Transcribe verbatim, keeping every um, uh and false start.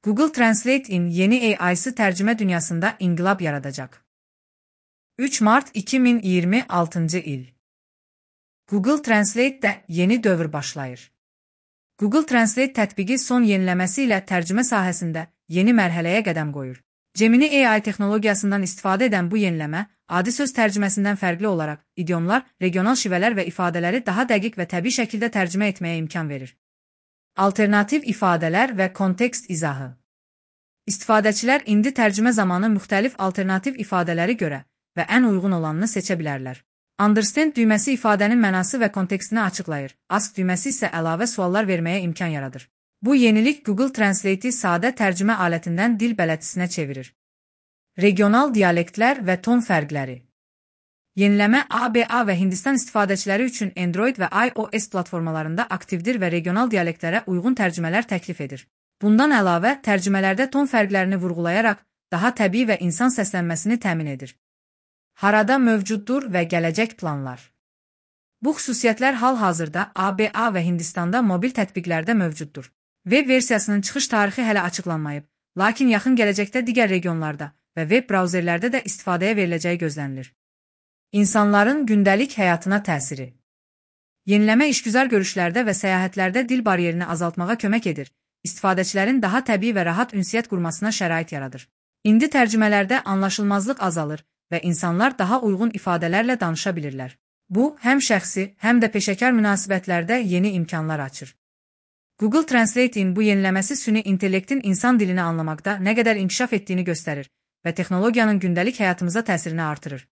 Google Translate'in yeni A I'sı tercüme dünyasında inkılap yaratacak. üç Mart iki min iyirmi altıncı il. Google Translate'de yeni dövr başlayır. Google Translate tətbiqi son yeniləməsi ilə tərcümə sahəsində yeni mərhələyə qədəm qoyur. Gemini A I texnologiyasından istifadə edən bu yeniləmə, adi söz tərcüməsindən fərqli olaraq idiomlar, regional şivələr və ifadələri daha dəqiq və təbii şəkildə tərcümə etməyə imkan verir. Alternativ ifadələr və kontekst izahı. İstifadəçilər indi tərcümə zamanı müxtəlif alternativ ifadələri görə və ən uyğun olanını seçə bilərlər. Understand düyməsi ifadənin mənası və kontekstini açıqlayır. Ask düyməsi isə əlavə suallar verməyə imkan yaradır. Bu yenilik Google Translate'i sadə tərcümə alətindən dil bələdçisinə çevirir. Regional dialektlər və ton fərqləri. Yeniləmə A B A və Hindistan istifadəçiləri üçün Android və iOS platformalarında aktivdir və regional dialektlərə uyğun tərcümələr təklif edir. Bundan əlavə, tərcümələrdə ton fərqlərini vurğulayaraq daha təbii və insan səslənməsini təmin edir. Harada mövcuddur və gələcək planlar. Bu xüsusiyyətlər hal-hazırda A B A və Hindistanda mobil tətbiqlərdə mövcuddur. Web versiyasının çıxış tarixi hələ açıqlanmayıb, lakin yaxın gələcəkdə digər regionlarda və web brauzerlərdə də istifadəyə veriləcəyi gözlənilir. İnsanların gündəlik həyatına təsiri. Yeniləmə işgüzar görüşlərdə və səyahətlərdə dil bariyerini azaltmağa kömək edir, istifadəçilərin daha təbii və rahat ünsiyyət qurmasına şərait yaradır. İndi tərcümələrdə anlaşılmazlıq azalır və insanlar daha uyğun ifadələrlə danışa bilirlər. Bu, həm şəxsi, həm də peşəkar münasibətlərdə yeni imkanlar açır. Google Translate'in bu yeniləməsi süni intellektin insan dilini anlamaqda nə qədər inkişaf etdiyini göstərir və texnologiyanın gündəlik həyatımıza təsirini artırır.